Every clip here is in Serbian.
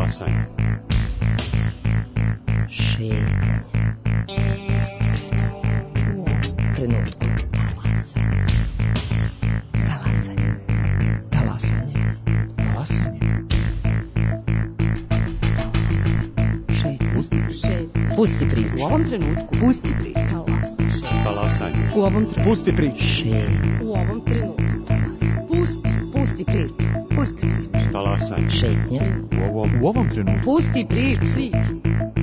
Talasanje. Šetnje. U ovom trenutku. Talasanje. Talasanje. Talasanje. Šetnje. Pusti priču. U ovom trenutku. Pusti priču. Talasanje. U ovom trenutku. Pusti priču. Šetnje. U ovom trenutku. Pusti priču. Pusti priču. Talasanje. Šetnje. U ovom trenutku. Pusti priču.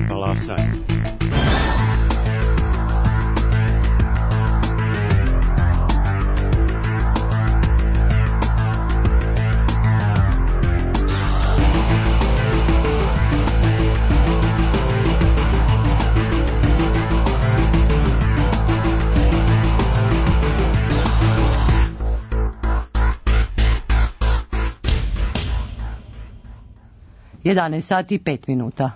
Talasanje. Jedanaest sati i 5 minuta.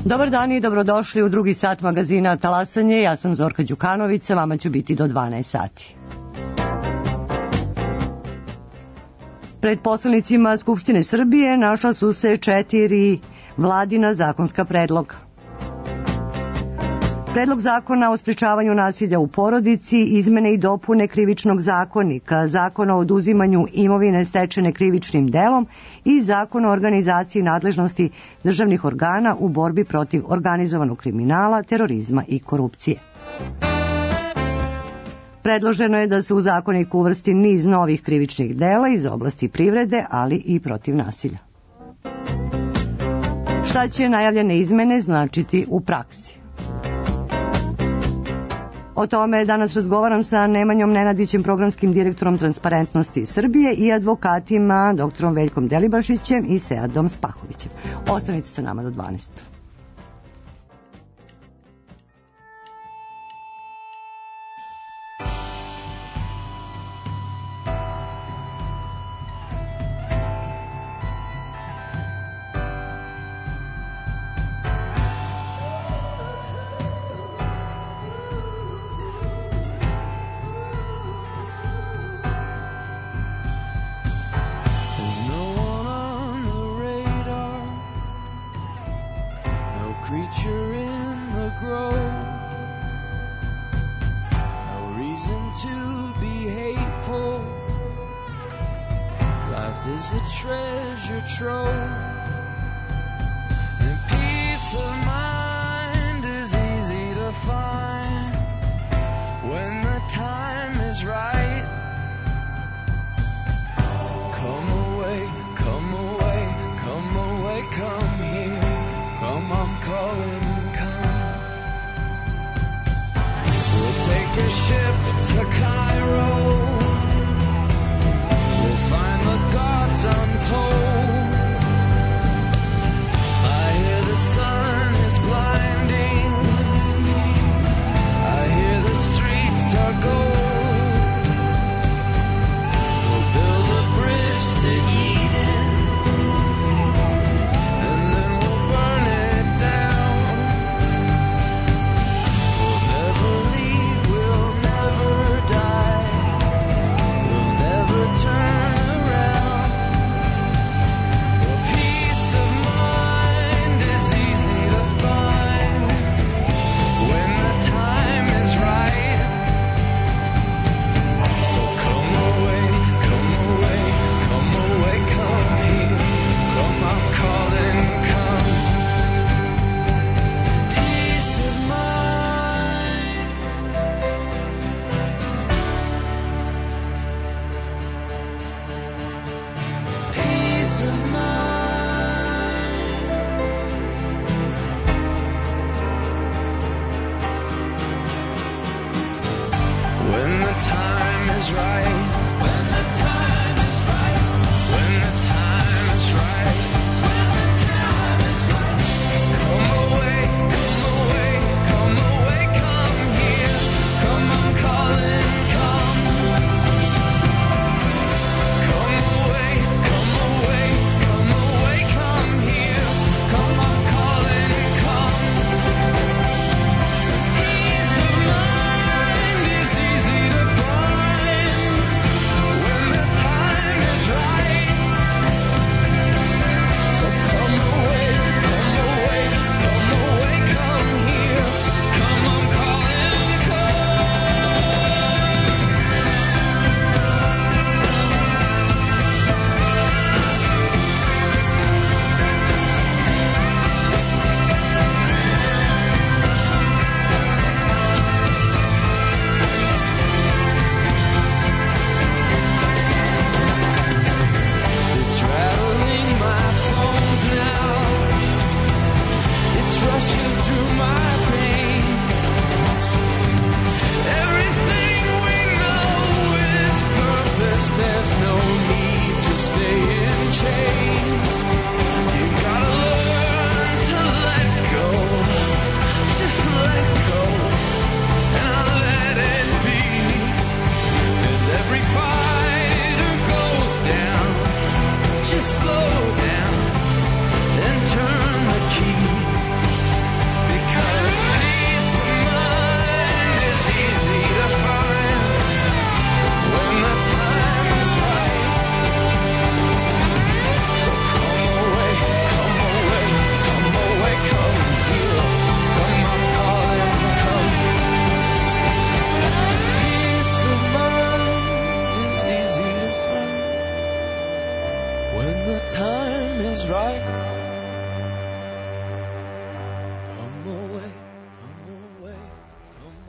Dobar dan i dobrodošli u drugi sat magazina Talasanje. Ja sam Zorka Đukanović, sa vama ću biti do 12 sati. Pred poslanicima Skupštine Srbije našla su se 4 vladina zakonska predloga. Predlog zakona o sprečavanju nasilja u porodici, izmene i dopune Krivičnog zakonika, zakona o oduzimanju imovine stečene krivičnim delom i zakon o organizaciji nadležnosti državnih organa u borbi protiv organizovanog kriminala, terorizma i korupcije. Predloženo je da se u zakonik uvrsti niz novih krivičnih dela iz oblasti privrede, ali i protiv nasilja. Šta će najavljene izmene značiti u praksi? O tome danas razgovaram sa Nemanjom Nenadićem, programskim direktorom Transparentnosti Srbije, i advokatima dr. Veljkom Delibašićem i Seadom Spahovićem. Ostanite sa nama do 12.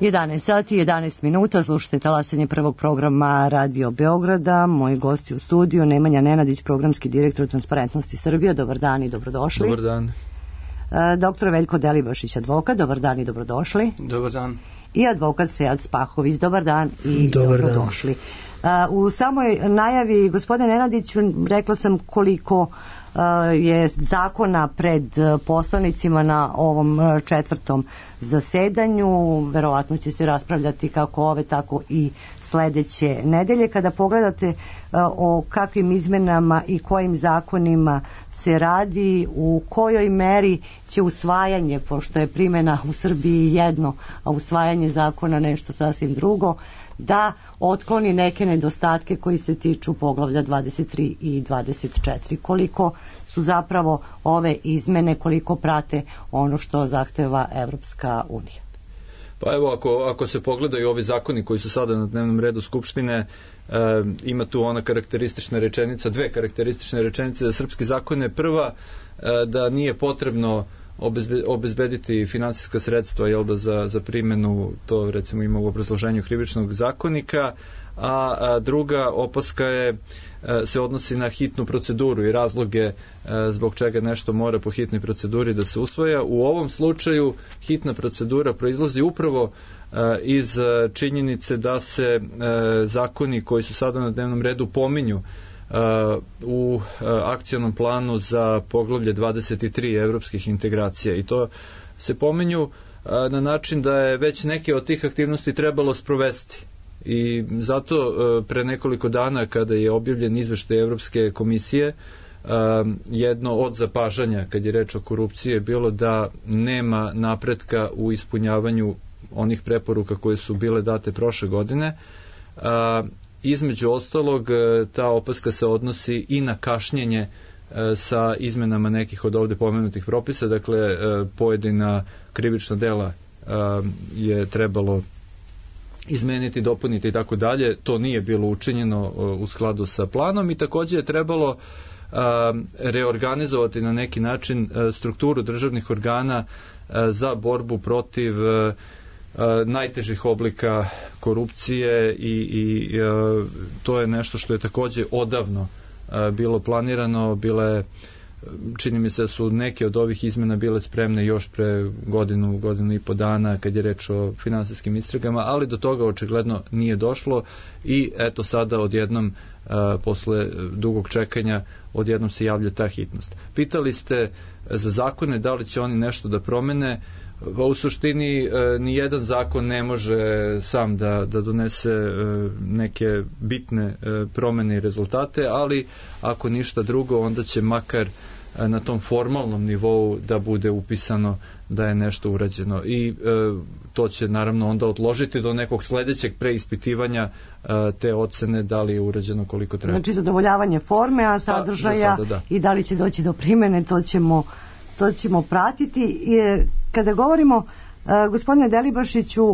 11 sati i 11 minuta, slušajte talasanje prvog programa Radio Beograda. Moji gosti u studiju, Nemanja Nenadić, programski direktor Transparentnosti Srbije. Dobar dan i dobrodošli. Dobar dan. Doktor Veljko Delibašić, advokat. Dobar dan i dobrodošli. Dobar dan. I advokat Sead Spahović. Dobar dan i dobrodošli. U samoj najavi, gospodine Nenadiću, rekla sam koliko je zakona pred poslanicima na ovom četvrtom zasedanju. Verovatno će se raspravljati kako ove, tako i sledeće nedelje. Kada pogledate o kakvim izmenama i kojim zakonima se radi, u kojoj meri će usvajanje, pošto je primjena u Srbiji jedno, a usvajanje zakona nešto sasvim drugo, da otkloni neke nedostatke koji se tiču poglavlja 23 i 24. Koliko su zapravo ove izmene, koliko prate ono što zahteva Evropska unija? Pa evo, ako se pogledaju ovi zakoni koji su sada na dnevnom redu Skupštine, ima tu ona karakteristična rečenica, dve karakteristične rečenice za srpski zakone. Prva, da nije potrebno obezbediti finansijska sredstva za primjenu, to recimo ima u obrazloženju krivičnog zakonika, a druga opaska se odnosi na hitnu proceduru i razloge zbog čega nešto mora po hitnoj proceduri da se usvaja. U ovom slučaju hitna procedura proizlazi upravo iz činjenice da se zakoni koji su sada na dnevnom redu pominju u akcionom planu za poglavlje 23 evropskih integracija, i to se pominju na način da je već neke od tih aktivnosti trebalo sprovesti. I zato pre nekoliko dana, kada je objavljen izveštaj Evropske komisije, jedno od zapažanja kad je reč o korupciji je bilo da nema napretka u ispunjavanju onih preporuka koje su bile date prošle godine. Između ostalog, ta opaska se odnosi i na kašnjenje sa izmenama nekih od ovde pomenutih propisa. Dakle, pojedina krivična dela je trebalo izmeniti, dopuniti i tako dalje. To nije bilo učinjeno u skladu sa planom i takođe je trebalo reorganizovati na neki način strukturu državnih organa za borbu protiv najtežih oblika korupcije i to je nešto što je takođe odavno bilo planirano. Čini mi se da su neke od ovih izmena bile spremne još pre godinu i po dana kad je reč o finansijskim istragama, ali do toga očigledno nije došlo i eto sada odjednom posle dugog čekanja odjednom se javlja ta hitnost. Pitali ste za zakone da li će oni nešto da promene. U suštini ni jedan zakon ne može sam da donese neke bitne promene i rezultate, ali ako ništa drugo, onda će makar na tom formalnom nivou da bude upisano da je nešto urađeno i to će naravno onda odložiti do nekog sledećeg preispitivanja te ocene da li je urađeno koliko treba. Znači zadovoljavanje forme, a sadržaja i da li će doći do primene, to ćemo pratiti. Kada govorimo, gospodine Delibašiću,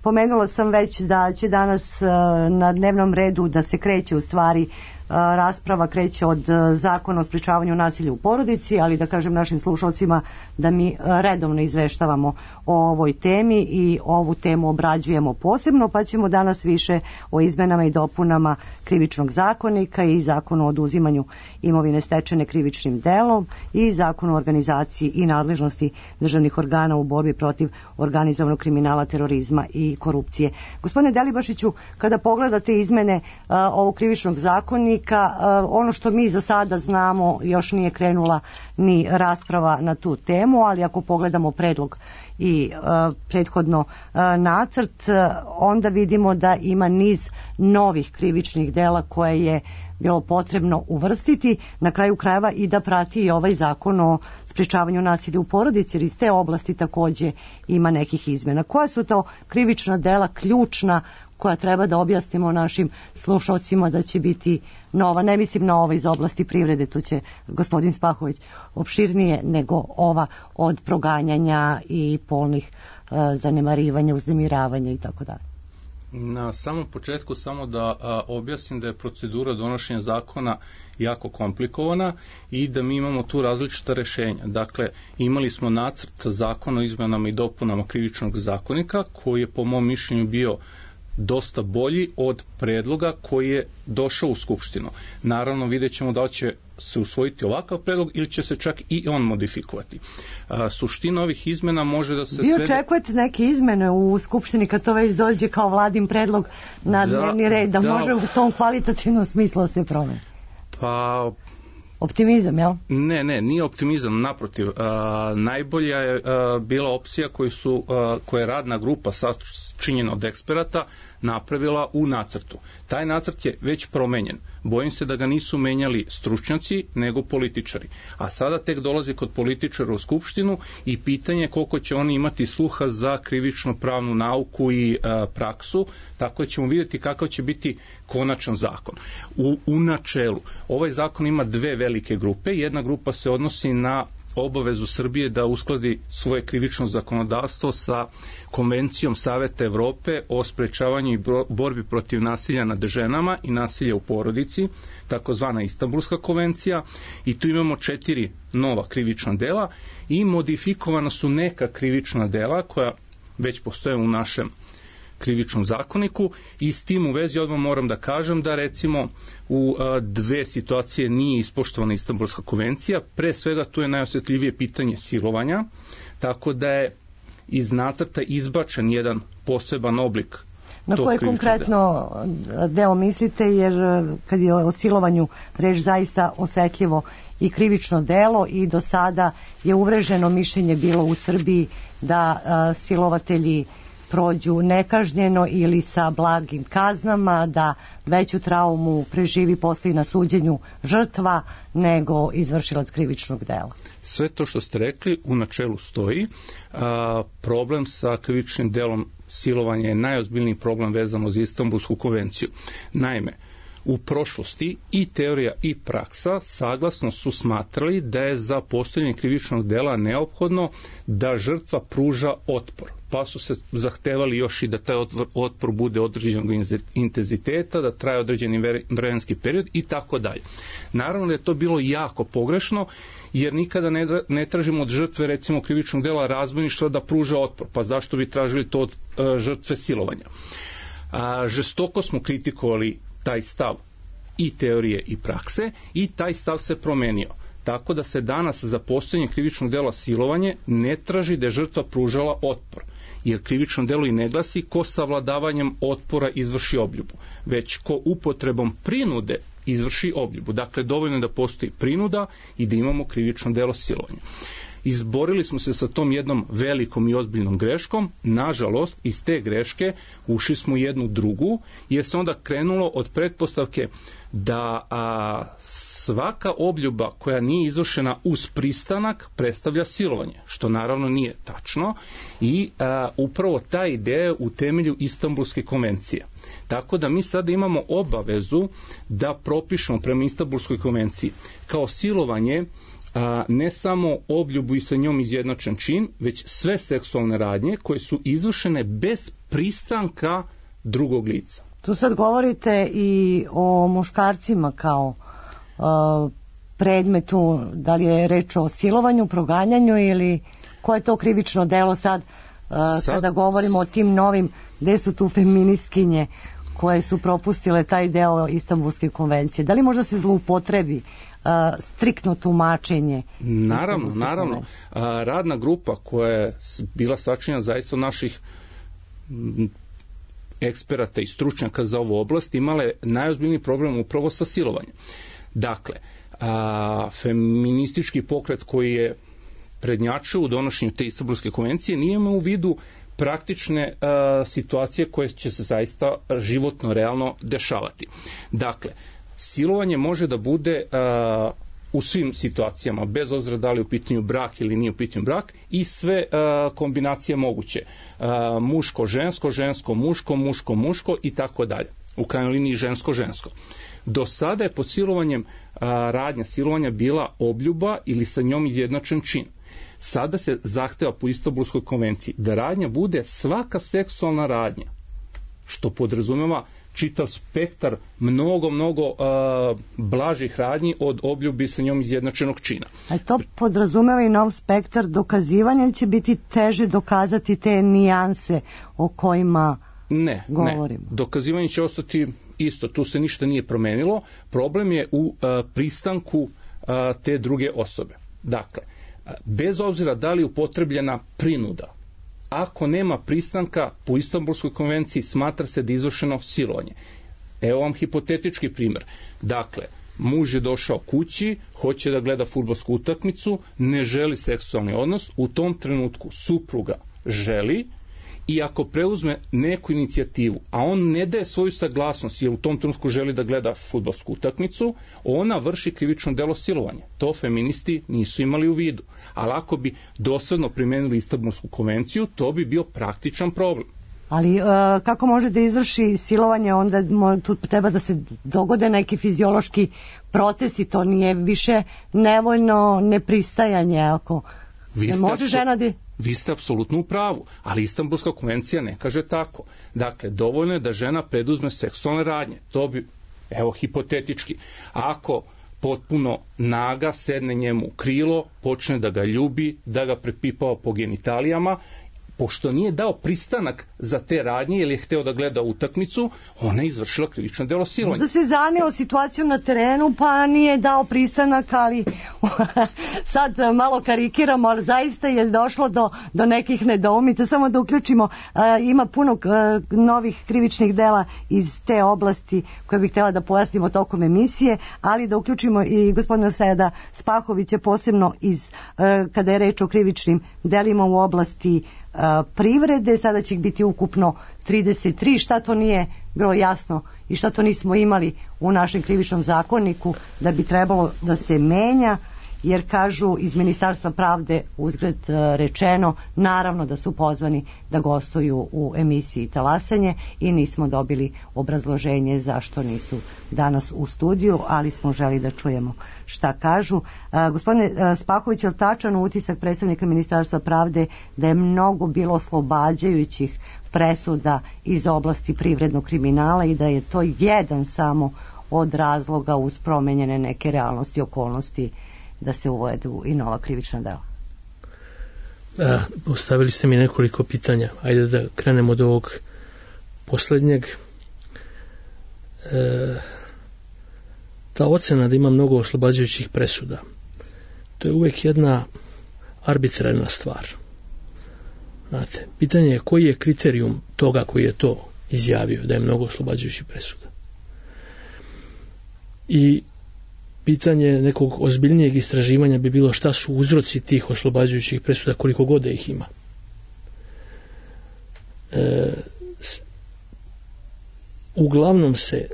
pomenula sam već da će danas na dnevnom redu da se kreće u stvari rasprava kreće od zakona o sprečavanju nasilja u porodici, ali da kažem našim slušalcima da mi redovno izveštavamo o ovoj temi i ovu temu obrađujemo posebno, pa ćemo danas više o izmenama i dopunama krivičnog zakonika i zakonu o oduzimanju imovine stečene krivičnim delom i zakonu o organizaciji i nadležnosti državnih organa u borbi protiv organizovanog kriminala, terorizma i korupcije. Gospodine Delibašiću, kada pogledate izmene ovog krivičnog zakonika, ono što mi za sada znamo, još nije krenula ni rasprava na tu temu, ali ako pogledamo predlog i prethodno nacrt, onda vidimo da ima niz novih krivičnih dela koje je bilo potrebno uvrstiti, na kraju krajeva i da prati i ovaj zakon o sprečavanju nasilja u porodici, jer iz te oblasti takođe ima nekih izmena. Koja su to krivična dela ključna koja treba da objasnimo našim slušalcima da će biti nova? Ne mislim na ova iz oblasti privrede, tu će gospodin Spahović opširnije, nego ova od proganjanja i polnih zanemarivanja, uznemiravanja i tako dalje. Na samom početku samo da objasnim da je procedura donošenja zakona jako komplikovana i da mi imamo tu različita rešenja. Dakle, imali smo nacrt zakona o izmenama i dopunama krivičnog zakonika koji je po mom mišljenju bio dosta bolji od predloga koji je došao u Skupštinu. Naravno, vidjet ćemo da li će se usvojiti ovakav predlog ili će se čak i on modifikovati. Suština ovih izmena može da se... Vi očekujete neke izmene u Skupštini kad to već dođe kao vladin predlog na dnevni red, da može u tom kvalitativnom smislu da se promeni? Pa... Optimizam, jel? Ne, nije optimizam, naprotiv. Najbolja je bila opcija koja je radna grupa sačinjena od eksperata napravila u nacrtu. Taj nacrt je već promenjen. Bojim se da ga nisu menjali stručnjaci, nego političari. A sada tek dolazi kod političara u Skupštinu i pitanje je koliko će oni imati sluha za krivično-pravnu nauku i praksu, tako da ćemo vidjeti kakav će biti konačan zakon. U načelu, ovaj zakon ima dve velike grupe. Jedna grupa se odnosi na obavezu Srbije da uskladi svoje krivično zakonodavstvo sa Konvencijom Saveta Evrope o sprečavanju i borbi protiv nasilja nad ženama i nasilja u porodici, takozvana Istanbulska konvencija, i tu imamo 4 nova krivična dela i modifikovana su neka krivična dela koja već postoje u našem krivičnom zakoniku i s tim u vezi odmah moram da kažem da recimo u dve situacije nije ispoštovana Istanbulska konvencija. Pre svega tu je najosjetljivije pitanje silovanja, tako da je iz nacrta izbačen jedan poseban oblik tog krivičnog dela. Na koji konkretno deo mislite, jer kad je o silovanju reč zaista osetljivo i krivično delo i do sada je uvreženo mišljenje bilo u Srbiji da silovatelji prođu nekažnjeno ili sa blagim kaznama, da veću traumu preživi posle na suđenju žrtva nego izvršilac krivičnog dela. Sve to što ste rekli u načelu stoji. Problem sa krivičnim delom silovanja je najozbiljniji problem vezano za Istanbulsku konvenciju. Naime, u prošlosti i teorija i praksa saglasno su smatrali da je za postojanje krivičnog dela neophodno da žrtva pruža otpor, pa su se zahtevali još i da taj otpor bude određenog intenziteta, da traje određeni vremenski period i tako dalje. Naravno da je to bilo jako pogrešno, jer nikada ne tražimo od žrtve recimo krivičnog dela razbojništva da pruža otpor, pa zašto bi tražili to od žrtve silovanja? Žestoko smo kritikovali taj stav i teorije i prakse i taj stav se promenio. Tako da se danas za postojanje krivičnog dela silovanje ne traži da je žrtva pružala otpor, jer krivično delo i ne glasi ko savladavanjem otpora izvrši obljubu, već ko upotrebom prinude izvrši obljubu. Dakle, dovoljno je da postoji prinuda i da imamo krivično delo silovanja. Izborili smo se sa tom jednom velikom i ozbiljnom greškom. Nažalost, iz te greške ušli smo u jednu drugu, jer se onda krenulo od pretpostavke da svaka obljuba koja nije izvršena uz pristanak predstavlja silovanje, što naravno nije tačno i upravo ta ideja je u temelju Istanbulske konvencije. Tako da mi sada imamo obavezu da propišemo prema Istanbulskoj konvenciji kao silovanje ne samo obljubu i sa njom izjednačen čin, već sve seksualne radnje koje su izvršene bez pristanka drugog lica. Tu sad govorite i o muškarcima kao predmetu, da li je reč o silovanju, proganjanju ili koje je to krivično delo sad kada govorimo o tim novim, gde su tu feministkinje koje su propustile taj deo Istanbulske konvencije? Da li možda se zloupotrebi striktno tumačenje? Naravno. Radna grupa koja je bila sačinjena zaista od naših eksperata i stručnjaka za ovu oblast imala je najozbiljniji problem upravo sa silovanjem. Dakle, feministički pokret koji je prednjačio u donošenju te Istanbulske konvencije nije imao u vidu praktične situacije koje će se zaista životno, realno dešavati. Dakle, silovanje može da bude u svim situacijama, bez obzira da li je u pitanju brak ili nije u pitanju brak, i sve kombinacije moguće. Muško-žensko, žensko-muško, muško-muško i tako dalje. U krajnjoj liniji žensko-žensko. Do sada je pod silovanjem radnja silovanja bila obljuba ili sa njom izjednačen čin. Sada se zahteva po Istanbulskoj konvenciji da radnja bude svaka seksualna radnja što podrazumeva čitav spektar mnogo blažih radnji od obljubi sa njom izjednačenog čina. A to podrazumeva i nov spektar dokazivanja, će biti teže dokazati te nijanse o kojima govorimo? Ne. Dokazivanje će ostati isto, tu se ništa nije promenilo. Problem je u pristanku te druge osobe. Dakle, bez obzira da li je upotrebljena prinuda, ako nema pristanka po Istanbulskoj konvenciji, smatra se da je izvršeno silovanje. Evo vam hipotetički primjer. Dakle, muž je došao kući, hoće da gleda fudbalsku utakmicu, ne želi seksualni odnos, u tom trenutku supruga želi, i ako preuzme neku inicijativu, a on ne daje svoju saglasnost jer u tom trenutku želi da gleda fudbalsku utakmicu, ona vrši krivično delo silovanja. To feministi nisu imali u vidu. Ali ako bi dosledno primenili Istanbulsku konvenciju, to bi bio praktičan problem. Ali kako može da izvrši silovanje, onda tu treba da se dogode neki fiziološki procesi, to nije više nevoljno nepristajanje, ako ne može žena da... Vi ste apsolutno u pravu, ali Istanbulska konvencija ne kaže tako. Dakle, dovoljno je da žena preduzme seksualne radnje. To bi, evo, hipotetički, ako potpuno naga sedne njemu u krilo, počne da ga ljubi, da ga prepipava po genitalijama, pošto nije dao pristanak za te radnje jer je hteo da gleda utakmicu, ona je izvršila krivično delo silovanja. Možda se zaneo situacijom na terenu pa nije dao pristanak, ali sad malo karikiramo, ali zaista je došlo do nekih nedoumica. Samo da uključimo, ima puno novih krivičnih dela iz te oblasti koje bih htjela da pojasnimo tokom emisije, ali da uključimo i gospodina Seada Spahovića, posebno kada je reč o krivičnim delima u oblasti privrede. Sada će ih biti ukupno 33. Šta to nije bilo jasno i šta to nismo imali u našem krivičnom zakoniku da bi trebalo da se menja, jer kažu iz Ministarstva pravde, uzgred rečeno, naravno da su pozvani da gostuju u emisiji Talasanje i nismo dobili obrazloženje zašto nisu danas u studiju, ali smo želi da čujemo šta kažu. Gospodine Spahović, je li tačan utisak predstavnika Ministarstva pravde da je mnogo bilo oslobađajućih presuda iz oblasti privrednog kriminala i da je to jedan samo od razloga uz promenjene neke realnosti i okolnosti da se uvedu i nova krivična dela? Postavili ste mi nekoliko pitanja. Ajde da krenemo od ovog poslednjeg. Ta ocena da ima mnogo oslobađajućih presuda, to je uvek jedna arbitrarna stvar. Znate, pitanje je koji je kriterijum toga koji je to izjavio da je mnogo oslobađajućih presuda. I pitanje nekog ozbiljnijeg istraživanja bi bilo šta su uzroci tih oslobađajućih presuda, koliko god da ih ima. Uglavnom se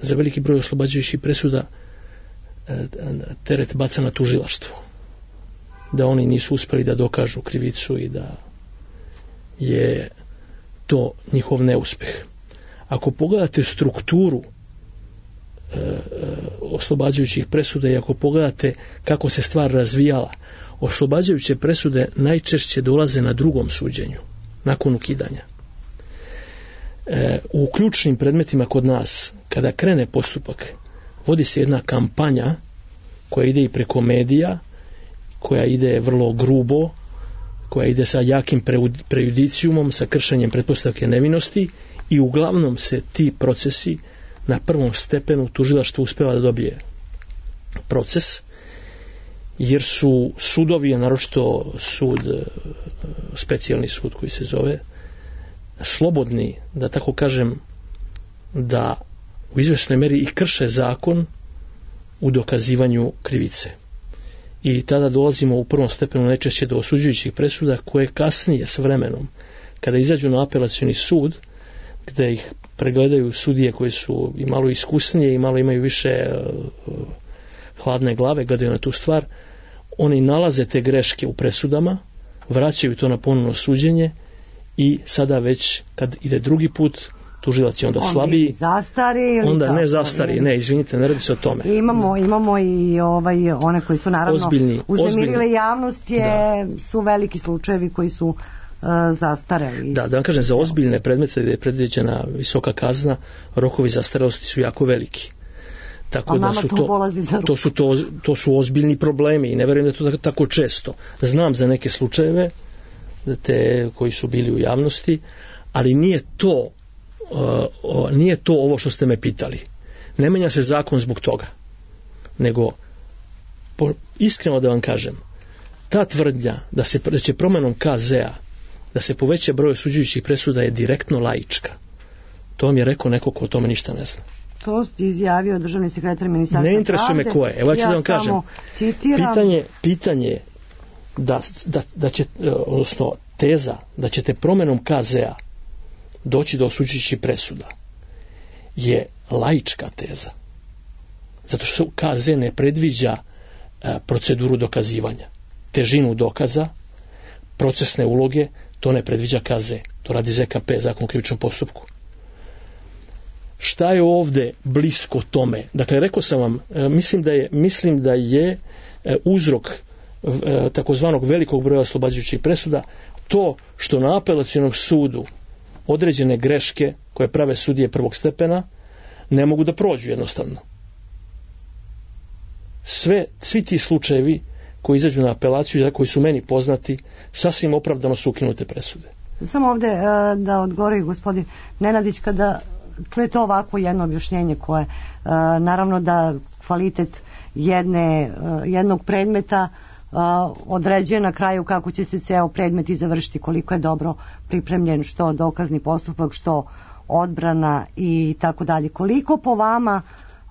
za veliki broj oslobađajućih presuda teret baca na tužilaštvo. Da oni nisu uspeli da dokažu krivicu i da je to njihov neuspeh. Ako pogledate strukturu oslobađajućih presuda i ako pogledate kako se stvar razvijala, oslobađajuće presude najčešće dolaze na drugom suđenju, nakon ukidanja. U ključnim predmetima kod nas, kada krene postupak, vodi se jedna kampanja koja ide i preko medija, koja ide vrlo grubo, koja ide sa jakim prejudicijumom, sa kršenjem pretpostavke nevinosti, i uglavnom se ti procesi na prvom stepenu tužilaštvo uspeva da dobije proces, jer su sudovi, a naročito specijalni sud koji se zove, slobodni, da tako kažem, da u izvesnoj meri i krše zakon u dokazivanju krivice. I tada dolazimo u prvom stepenu najčešće do osuđujućih presuda, koje kasnije s vremenom, kada izađu na apelacioni sud, gde ih pregledaju sudije koji su i malo iskusnije i malo imaju više hladne glave, gledaju na tu stvar, oni nalaze te greške u presudama, vraćaju to na ponovno suđenje i sada već kad ide drugi put, tužilac je onda slabiji. Onda ne zastari, ne, izvinite, ne radi se o tome. Imamo i one koji su naravno uznemirile javnost, su veliki slučajevi koji su zastareli. Da vam kažem, za ozbiljne predmete gdje je predviđena visoka kazna, rokovi zastarelosti su jako veliki. Tako da su to su ozbiljni problemi i ne vjerujem da je to tako često. Znam za neke slučajeve koji su bili u javnosti, ali nije to ovo što ste me pitali. Ne menja se zakon zbog toga, nego iskreno da vam kažem, ta tvrdnja da će promjenom KZ-a da se poveća broj osuđujućih presuda je direktno laička. To vam je rekao neko ko o tome ništa ne zna. To izjavio državni sekretar Ministarstva pravde. Ne interesuje me ko je. Evo ja ću da vam kažem. Pitanje je da će, odnosno teza da ćete promjenom KZ-a doći do osuđujućih presuda je laička teza. Zato što KZ ne predviđa proceduru dokazivanja. Težinu dokaza, procesne uloge, to ne predviđa KZ. To radi ZKP, Zakon o krivičnom postupku. Šta je ovdje blisko tome? Dakle, rekao sam vam, mislim da je uzrok takozvanog velikog broja oslobađajućih presuda to što na apelacionom sudu određene greške koje prave sudije prvog stepena ne mogu da prođu jednostavno. Svi ti slučajevi koji izađu na apelaciju, koji su meni poznati, sasvim opravdano su ukinute presude. Samo ovdje da odgovori gospodin Nenadić, kada čujete ovako jedno objašnjenje koje naravno da kvalitet jednog predmeta određuje na kraju kako će se ceo predmet i završiti, koliko je dobro pripremljen, što dokazni postupak, što odbrana i tako dalje. Koliko po vama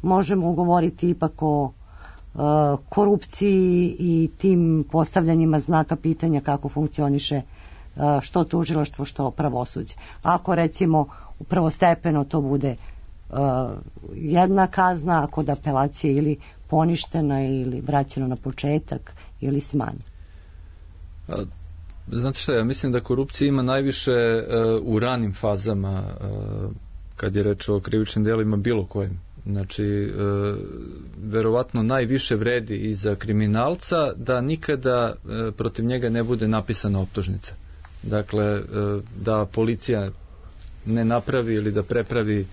možemo govoriti ipak o korupciji i tim postavljanjima znaka pitanja kako funkcioniše što tužilaštvo, što pravosuđe? Ako recimo prvostepeno to bude jedna kazna, a kod apelacije ili poništena ili vraćena na početak ili smanjena. Znate šta, ja mislim da korupcija ima najviše u ranim fazama kad je reč o krivičnim delima bilo kojim. Znači, verovatno najviše vredi i za kriminalca da nikada protiv njega ne bude napisana optužnica. Dakle, da policija ne napravi ili da prepravi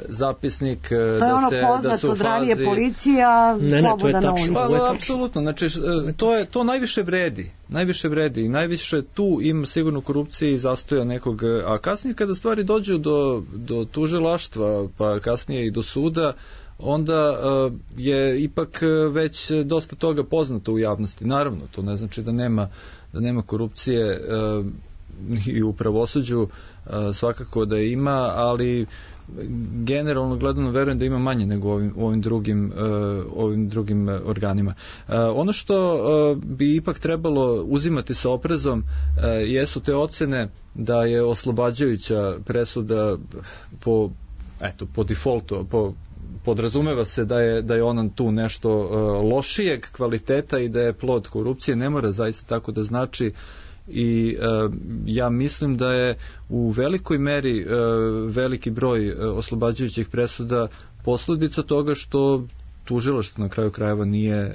zapisnik, to je ono poznato, ranije policija sloboda na ulici. Apsolutno, znači to najviše vredi i najviše tu ima sigurno korupcije i zastoja nekog, a kasnije kada stvari dođu do tužilaštva pa kasnije i do suda, onda je ipak već dosta toga poznato u javnosti. Naravno, to ne znači da nema korupcije i u pravosuđu, svakako da ima, ali generalno gledano verujem da ima manje nego u ovim drugim organima. Ono što bi ipak trebalo uzimati sa oprezom jesu te ocene da je oslobađajuća presuda po defaultu, podrazumeva se da je ona tu nešto lošijeg kvaliteta i da je plod korupcije. Ne mora zaista tako da znači. I ja mislim da je u velikoj meri veliki broj oslobađajućih presuda posljedica toga što tužilaštvo na kraju krajeva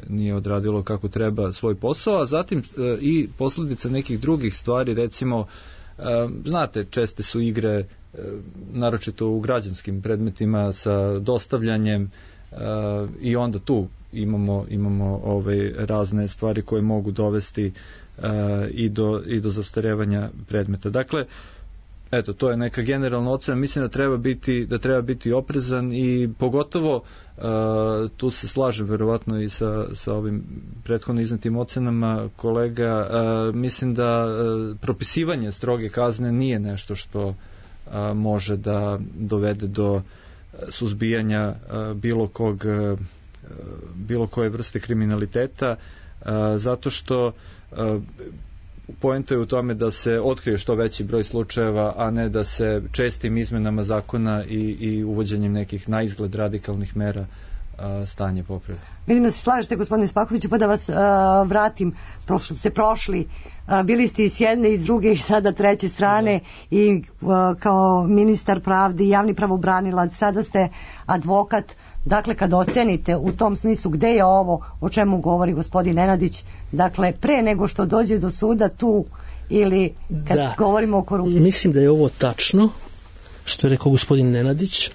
nije odradilo kako treba svoj posao, a zatim i posljedica nekih drugih stvari, recimo znate, česte su igre naročito u građanskim predmetima sa dostavljanjem i onda tu imamo razne stvari koje mogu dovesti i do zastarevanja predmeta. Dakle, eto, to je neka generalna ocena. Mislim da treba biti oprezan i pogotovo tu se slažem verovatno i sa ovim prethodno iznetim ocenama kolega. Mislim da propisivanje stroge kazne nije nešto što može da dovede do suzbijanja bilo koje vrste kriminaliteta, zato što poenta je u tome da se otkrije što veći broj slučajeva, a ne da se čestim izmenama zakona i uvođenjem nekih na izgled radikalnih mera stanje popravi. Vidim da se slažete, gospodine Spakoviću, pa da vas vratim, prošli, bili ste i s jedne i s druge i sada treće strane i kao ministar pravde i javni pravobranilac, sada ste advokat. Dakle, kad ocenite u tom smislu gde je ovo o čemu govori gospodin Nenadić, dakle, pre nego što dođe do suda, tu ili kad govorimo o korupciji? Mislim da je ovo tačno, što je rekao gospodin Nenadić,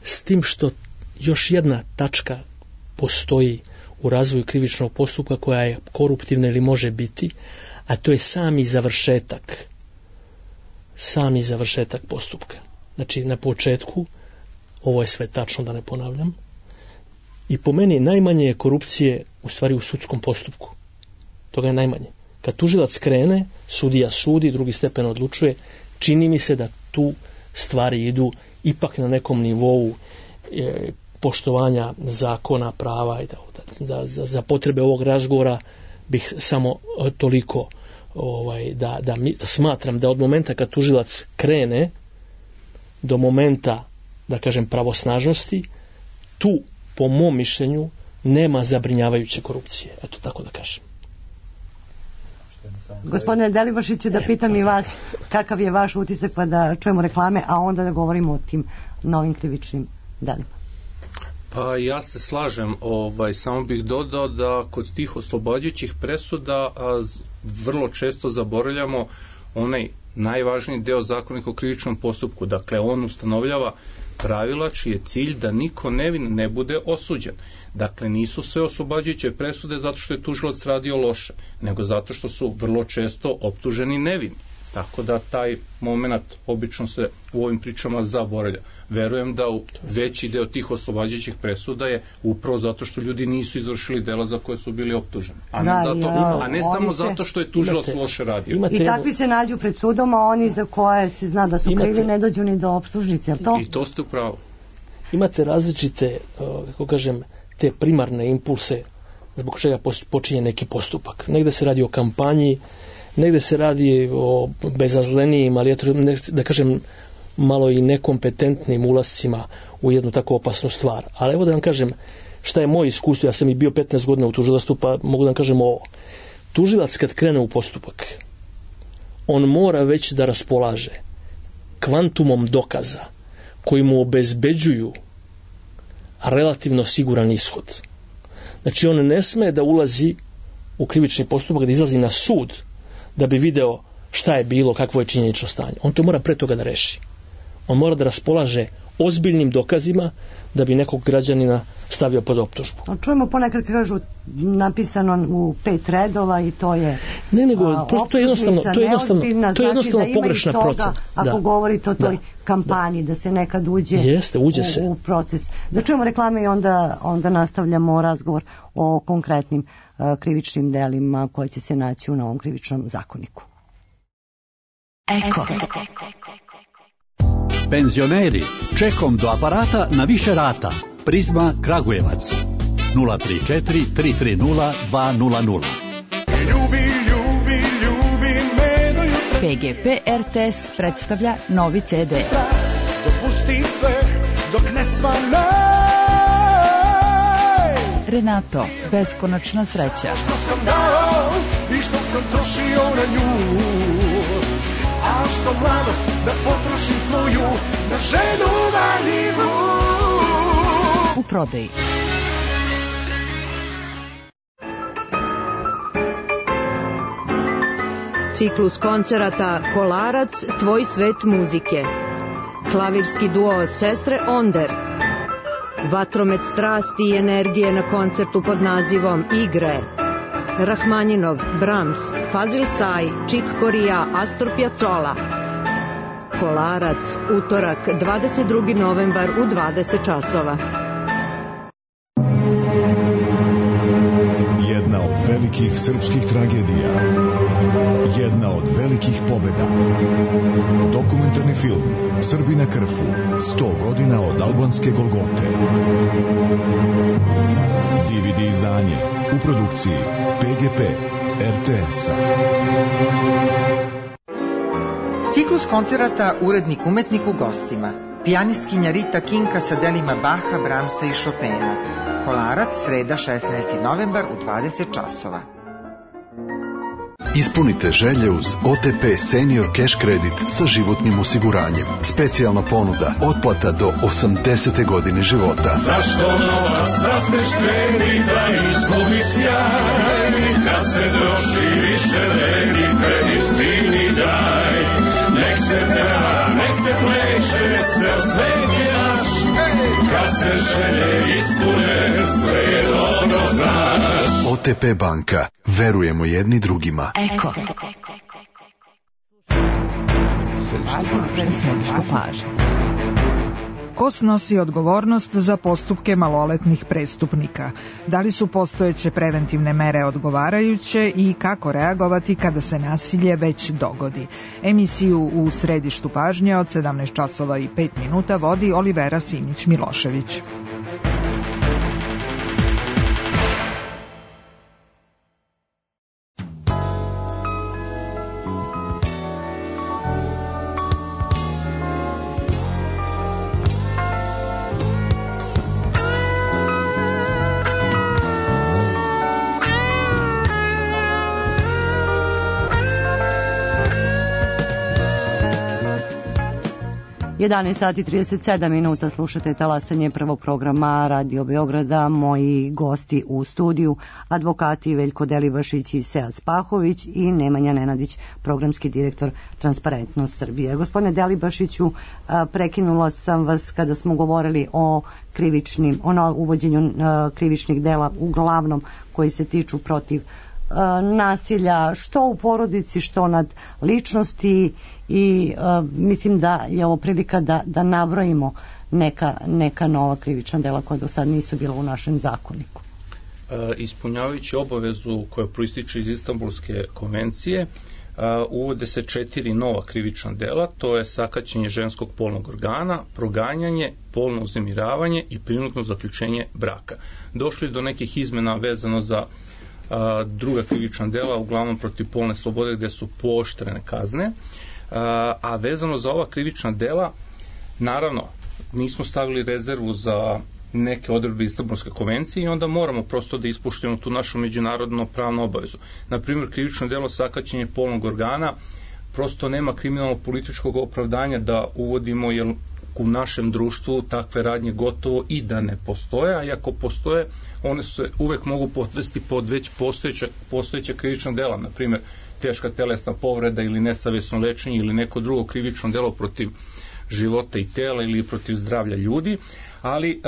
s tim što još jedna tačka postoji u razvoju krivičnog postupka koja je koruptivna ili može biti, a to je sami završetak postupka. Znači, na početku, ovo je sve tačno, da ne ponavljam, i po meni najmanje je korupcije u stvari u sudskom postupku. Toga je najmanje. Kad tužilac krene, sudija sudi, drugi stepen odlučuje, čini mi se da tu stvari idu ipak na nekom nivou poštovanja zakona, prava i da za potrebe ovog razgovora bih samo toliko da smatram da od momenta kad tužilac krene do momenta, da kažem, pravosnažnosti, tu po mom mišljenju nema zabrinjavajuće korupcije. Eto, tako da kažem. Gospodine Delibašiću, da pitam i vas kakav je vaš utisak, pa da čujemo reklame, a onda da govorimo o tim novim krivičnim delima. Pa ja se slažem, samo bih dodao da kod tih oslobađajućih presuda vrlo često zaboravljamo onaj najvažniji deo Zakonika o krivičnom postupku. Dakle, on ustanovljava pravila čiji je cilj da niko nevin ne bude osuđen. Dakle, nisu sve oslobađajuće presude zato što je tužilac radio loše, nego zato što su vrlo često optuženi nevini. Tako da taj moment obično se u ovim pričama zaboravlja. Verujem da veći deo tih oslobađajućih presuda je upravo zato što ljudi nisu izvršili dela za koje su bili optuženi. A ne samo zato što je tužilac loše radio. I takvi se nađu pred sudom, a oni za koje se zna da su krivi ne dođu ni do optužnice, jel to? I to ste upravo. Imate različite, kako kažem, te primarne impulse zbog čega počinje neki postupak. Negde se radi o kampanji, negde se radi o bezazlenijim, ali da kažem malo i nekompetentnim ulascima u jednu tako opasnu stvar. Ali evo da vam kažem šta je moje iskustvo, ja sam i bio 15 godina u tužilaštvu, pa mogu da vam kažem ovo. Tužilac kad krene u postupak, on mora već da raspolaže kvantumom dokaza koji mu obezbeđuju relativno siguran ishod. Znači on ne sme da ulazi u krivični postupak, da izlazi na sud da bi video šta je bilo, kakvo je činjenično stanje. On to mora pre toga da reši. On mora da raspolaže ozbiljnim dokazima da bi nekog građanina stavio pod optužbu. Čujemo ponekad kažu napisano u 5 redova i to je to je jednostavno pogrešna procena. Ako govorite o toj kampanji, da se nekad uđe u proces. Da čujemo reklame i onda nastavljamo razgovor o konkretnim krivičnim delima koje će se naći u novom krivičnom zakoniku. Eko. Penzioneri, čekom do aparata na više rata. Prizma Kragujevac 034 330 200. PGP RTS predstavlja novi CD. Dopusti sve dok ne svane. Renato, beskonačna sreća. Što sam dao i što sam trošio na nju, a što mladost da potrošim svoju na ženu valjivu. U prodaji. Ciklus koncerata Kolarac, tvoj svet muzike. Klavirski duo Sestre Onder. Vatromet strasti i energije na koncertu pod nazivom Igre. Rahmanjinov, Brahms, Fazil Say, Chick Corea, Astor Piazzolla. Kolarac, utorak, 22. novembar u 20 časova. Jedna od velikih srpskih tragedija. Jedna od velikih pobeda. Dokumentarni film Srbi na Krfu. 100 godina od albanske Golgote. DVD izdanje u produkciji PGP RTS-a. Ciklus koncerata Urednik umetnik u gostima. Pijanistkinja Rita Kinka sa delima Baha, Brahmsa i Chopina. Kolarac, sreda 16. novembar u 20 časova. Ispunite želje uz OTP Senior Cash Credit sa životnim osiguranjem. Specijalna ponuda, otplata do 80. godine života. Zašto novac da ste štreni, da izgubi sjaj, kad se troši više vredi kredit ti zemlja, nek se pleše, sve svet je naš, kad se želje ispune, sve je dobro znaš. OTP banka, verujemo jedni drugima. Eko. Središtu pažnje. Ko snosi odgovornost za postupke maloletnih prestupnika? Da li su postojeće preventivne mere odgovarajuće i kako reagovati kada se nasilje već dogodi? Emisiju u Središtu pažnje od 17 časova i 5 minuta vodi Olivera Simić-Milošević. Sati 37 minuta slušate talasanje prvog programa Radio Beograda. Moji gosti u studiju, advokati Veljko Delibašić i Sead Spahović i Nemanja Nenadić, programski direktor Transparentnost Srbije. Gospodine Delibašiću, prekinula sam vas kada smo govorili o uvođenju krivičnih dela, uglavnom koji se tiču protiv nasilja, što u porodici, što nad ličnosti, i mislim da je ovo prilika da nabrojimo neka nova krivična dela koja do sad nisu bila u našem zakoniku. Ispunjavajući obavezu koja proističe iz Istanbulske konvencije, uvode se 4 nova krivična dela, to je sakaćenje ženskog polnog organa, proganjanje, polno uznemiravanje i prinudno zaključenje braka. Došli do nekih izmena vezano za druga krivična dela, uglavnom protiv polne slobode, gde su pooštrene kazne, a vezano za ova krivična dela, naravno, nismo stavili rezervu za neke odredbe Istanbulske konvencije i onda moramo prosto da ispoštujemo tu našu međunarodno pravnu obavezu. Na primjer, krivično delo sakaćenje polnog organa, prosto nema kriminalno političkog opravdanja da uvodimo, jer u našem društvu takve radnje gotovo i da ne postoje, a i ako postoje, one se uvek mogu podvesti pod već postojeća krivična dela, na primjer teška telesna povreda ili nesavesno lečenje ili neko drugo krivično delo protiv života i tela ili protiv zdravlja ljudi, ali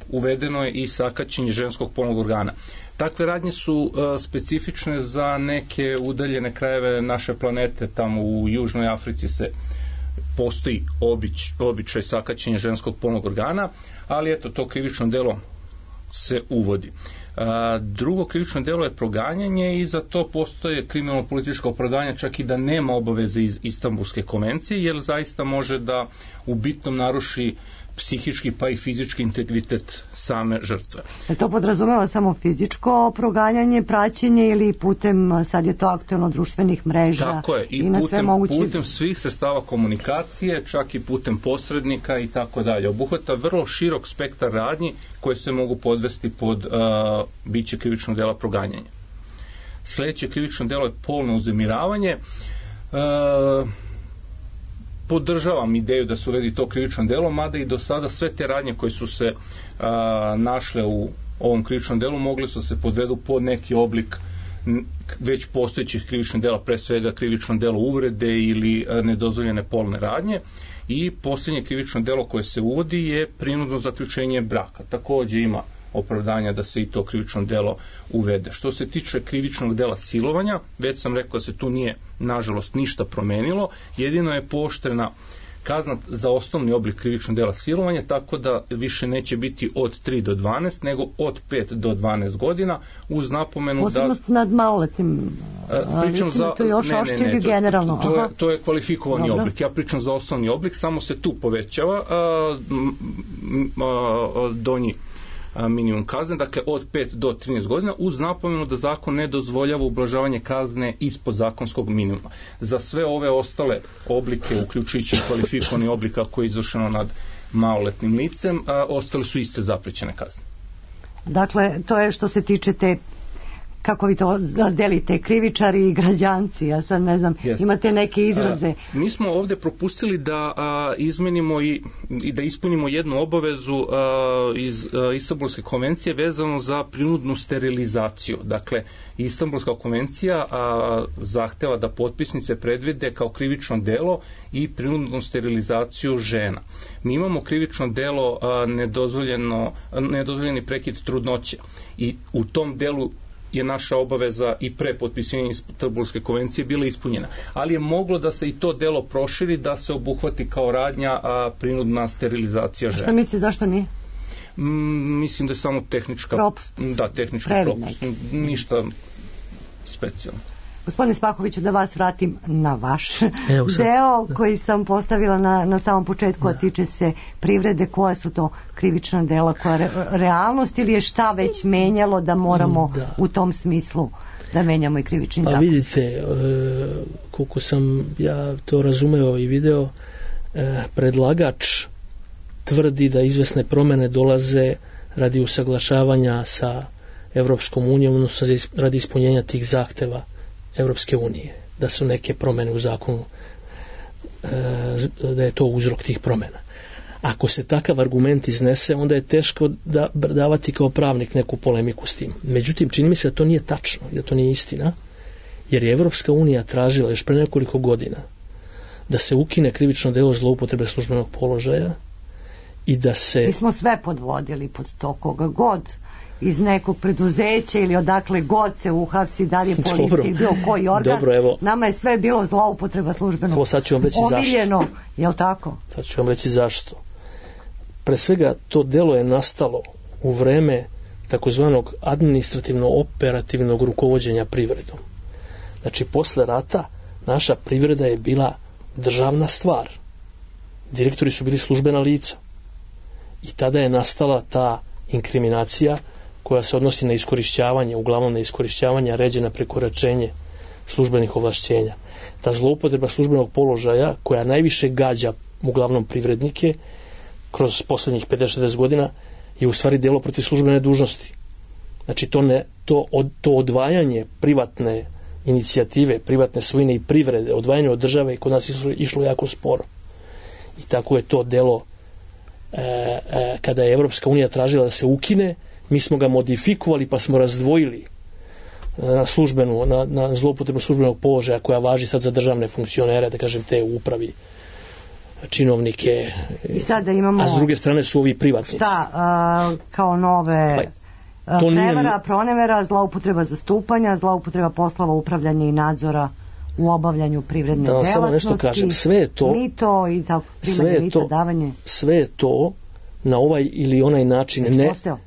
uvedeno je i sakaćenje ženskog polnog organa. Takve radnje su specifične za neke udaljene krajeve naše planete, tamo u Južnoj Africi postoji običaj sakaćenja ženskog polnog organa, ali eto, to krivično delo se uvodi. Drugo krivično delo je proganjanje i za to postoje kriminalno političko opravdanje, čak i da nema obaveze iz Istanbulske konvencije, jer zaista može da u bitnom naruši psihički pa i fizički integritet same žrtve. To podrazumeva samo fizičko proganjanje, praćenje ili putem, sad je to aktuelno, društvenih mreža? Tako je, i putem svih sredstava komunikacije, čak i putem posrednika i tako dalje. Obuhvata vrlo širok spektar radnji koje se mogu podvesti pod biće krivičnog dela proganjanja. Sljedeće krivično delo je polno uznemiravanje. Podržavam ideju da se uredi to krivično delo, mada i do sada sve te radnje koje su se našle u ovom krivičnom delu mogle su se podvedu pod neki oblik već postojećih krivičnih dela, pre svega krivično delo uvrede ili nedozvoljene polne radnje. I posljednje krivično delo koje se uvodi je prinudno zaključenje braka. Takođe ima opravdanja da se i to krivično delo uvede. Što se tiče krivičnog dela silovanja, već sam rekao da se tu nije, nažalost, ništa promenilo, jedino je pooštrena kazna za osnovni oblik krivičnog dela silovanja, tako da više neće biti od 3 do 12, nego od 5 do 12 godina, uz napomenu posebnost nad maloletnim to je još oštrije generalno. To je kvalifikovani oblik. Ja pričam za osnovni oblik, samo se tu povećava donji minimum kazne, dakle od 5 do 13 godina, uz napomenu da zakon ne dozvoljava ublažavanje kazne ispod zakonskog minimuma. Za sve ove ostale oblike, uključujući kvalifikovani oblik ako je izvršeno nad maloletnim licem, ostale su iste zaprećene kazne. Dakle, to je što se tiče te kako vi to delite, krivičari i građanci, ja sad ne znam, imate neke izraze. Mi smo ovde propustili da izmenimo i da ispunimo jednu obavezu iz Istanbulske konvencije vezano za prinudnu sterilizaciju. Dakle, Istanbulska konvencija zahteva da potpisnice predvide kao krivično delo i prinudnu sterilizaciju žena. Mi imamo krivično delo nedozvoljeni prekid trudnoće i u tom delu je naša obaveza i pre potpisivanja Istanbulske konvencije bila ispunjena. Ali je moglo da se i to delo proširi, da se obuhvati kao radnja prinudna sterilizacija žena. Šta misli, zašto nije? Mislim da je samo tehnička propust. Da, tehnički propust. Ništa specijalno. Gospodine Spahoviću, da vas vratim na vaš deo koji sam postavila na samom početku, a tiče se privrede. Koja su to krivična dela, koja realnost ili je šta već menjalo da moramo u tom smislu da menjamo i krivični zakon? Pa vidite, koliko sam ja to razumeo i video, predlagač tvrdi da izvesne promene dolaze radi usaglašavanja sa Evropskom unijom, odnosno radi ispunjenja tih zahteva Evropske unije, da su neke promene u zakonu, da je to uzrok tih promena. Ako se takav argument iznese, onda je teško davati kao pravnik neku polemiku s tim. Međutim, čini mi se da to nije tačno, da to nije istina, jer je Evropska unija tražila još pre nekoliko godina da se ukine krivično delo zloupotrebe službenog položaja i da se... Mi smo sve podvodili pod to, koga god iz nekog preduzeća ili odakle god se uhapsi, da li je policija bio koji organ. Dobro, evo, nama je sve bilo zloupotreba službenog. Evo sad ću vam reći omiljeno, zašto. Je li tako? Sad ću vam reći zašto. Pre svega to delo je nastalo u vreme takozvanog administrativno-operativnog rukovođenja privredom. Znači, posle rata naša privreda je bila državna stvar. Direktori su bili službena lica. I tada je nastala ta inkriminacija koja se odnosi na iskorišćavanje, uglavnom na iskorišćavanje, ređe na prekoračenje službenih ovlašćenja. Ta zloupotreba službenog položaja koja najviše gađa uglavnom privrednike kroz poslednjih 50-60 godina je u stvari delo protiv službene dužnosti. Znači to odvajanje privatne inicijative, privatne svojine i privrede, odvajanje od države i kod nas išlo jako sporo. I tako je to delo kada je Evropska unija tražila da se ukine, mi smo ga modifikovali pa smo razdvojili na zloupotrebu službenog položaja koja važi sad za državne funkcionere, da kažem te u upravi, činovnike, i sada imamo, a s druge strane su ovi privatnici. Šta, kao nove prevara, pronevera, zloupotreba zastupanja, zloupotreba poslova upravljanja i nadzora u obavljanju privredne delatnosti. Samo nešto kažem, sve je to mito i tako, primanje mita, davanje. Sve je to na ovaj ili onaj način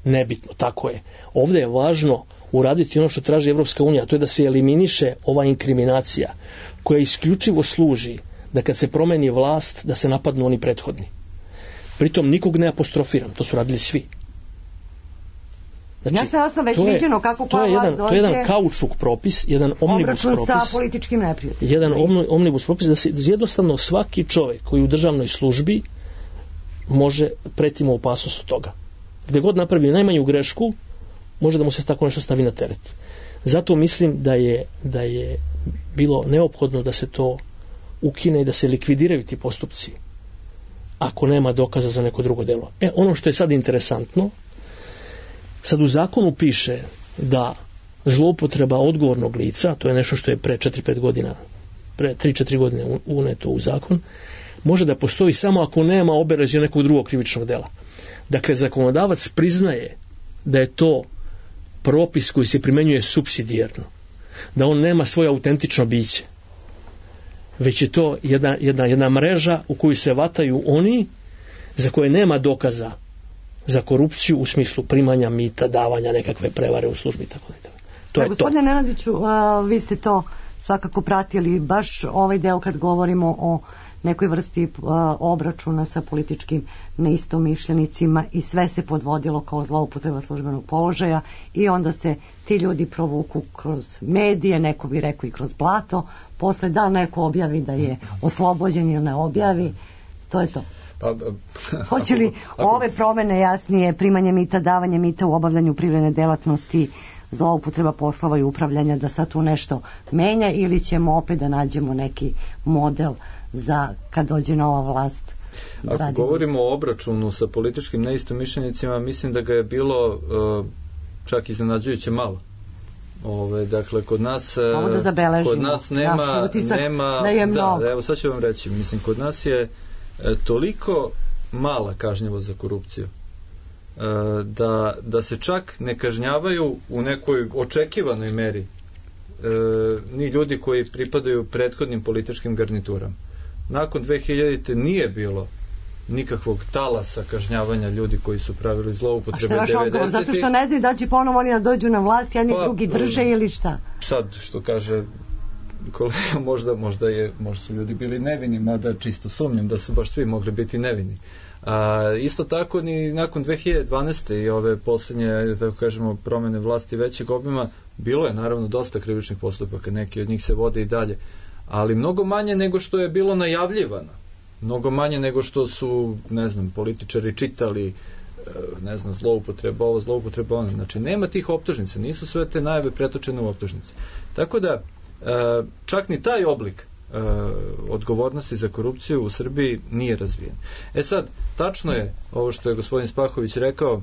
nebitno, tako je. Ovdje je važno uraditi ono što traži Evropska unija, to je da se eliminiše ova inkriminacija koja isključivo služi da kad se promeni vlast da se napadnu oni prethodni. Pritom nikog ne apostrofiram, to su radili svi. Znači, ja se jasno već viđeno kako koja vlast dođe. To je jedan kaučuk propis, jedan omnibus propis. Obračun sa političkim neprijateljima. Jedan omnibus propis da se jednostavno svaki čovjek koji u državnoj službi može pretimo opasnost od toga. Gde god napravi najmanju grešku, može da mu se tako nešto stavi na teret. Zato mislim da je bilo neophodno da se to ukine i da se likvidiraju ti postupci ako nema dokaza za neko drugo delo. Ono što je sad interesantno, sad u zakonu piše da zloupotreba odgovornog lica, to je nešto što je pre 4-5 godina, pre 3-4 godine uneto u zakon, može da postoji samo ako nema obeležja nekog drugog krivičnog dela. Dakle, zakonodavac priznaje da je to propis koji se primenjuje supsidijarno, da on nema svoje autentično biće, već je to jedna mreža u koju se vataju oni za koje nema dokaza za korupciju u smislu primanja mita, davanja nekakve prevare u službi, tako da. To je to. Gospodine Nenadiću, vi ste to svakako pratili, baš ovaj deo kad govorimo o nekoj vrsti obračuna sa političkim neistomišljenicima i sve se podvodilo kao zloupotreba službenog položaja i onda se ti ljudi provuku kroz medije, neko bi rekao i kroz blato, posle da neko objavi da je oslobođen ili ne objavi, to je to. Hoće li ove promene jasnije, primanje mita, davanje mita u obavljanju privredne delatnosti, zloupotreba poslova i upravljanja, da sad tu nešto menja, ili ćemo opet da nađemo neki model za kad dođe nova vlast? Ako govorimo o obračunu sa političkim neistomišljenicima, mislim da ga je bilo čak iznenađujuće malo. Dakle, kod nas nema evo sad ću vam reći, mislim, kod nas je toliko mala kažnjivost za korupciju da se čak ne kažnjavaju u nekoj očekivanoj meri ni ljudi koji pripadaju prethodnim političkim garniturama. Nakon 2000. nije bilo nikakvog talasa kažnjavanja ljudi koji su pravili zloupotrebe 90. Zato što ne znaju da će ponovo oni da dođu na vlast, jedni drugi drže ili šta? Sad, što kaže kolega, možda su ljudi bili nevini, mada čisto sumnjam da su baš svi mogli biti nevini. Isto tako ni nakon 2012. i ove posljednje, tako kažemo, promene vlasti većeg obima, bilo je naravno dosta krivičnih postupaka, neki od njih se vode i dalje, ali mnogo manje nego što je bilo najavljivano, mnogo manje nego što su, ne znam, političari čitali, ne znam, zloupotreba ovo, zloupotreba ono. Znači, nema tih optužnica, nisu sve te najave pretočene u optužnice. Tako da, čak ni taj oblik odgovornosti za korupciju u Srbiji nije razvijen. Sad, tačno je ovo što je gospodin Spahović rekao,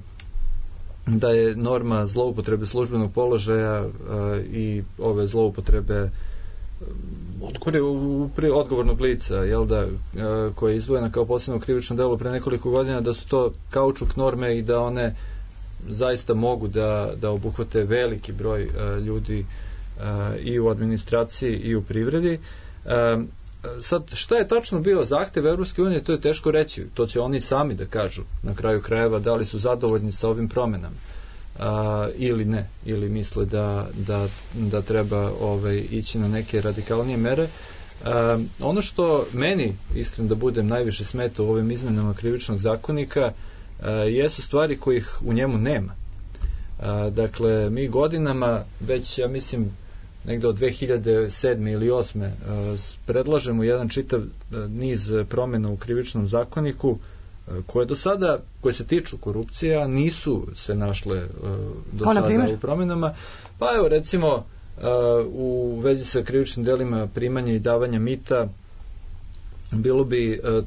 da je norma zloupotrebe službenog položaja i ove zloupotrebe odgovornog lica, koja je izdvojena kao posebno krivično delo pre nekoliko godina, da su to kaučuk norme i da one zaista mogu da obuhvate veliki broj ljudi i u administraciji i u privredi. Sad, šta je tačno bio zahtev Evropske unije, to je teško reći. To će oni sami da kažu na kraju krajeva, da li su zadovoljni sa ovim promenama ili ne, ili misle da treba ići na neke radikalnije mere. Ono što meni, iskreno da budem, najviše smeta u ovim izmenama krivičnog zakonika jesu stvari kojih u njemu nema. Dakle, mi godinama, već ja mislim negde od 2007. ili 2008. predlažemo jedan čitav niz promjena u krivičnom zakoniku koje do sada, koje se tiču korupcije, a nisu se našle do sada u promjenama. Pa evo, recimo, u vezi sa krivičnim delima primanja i davanja mita,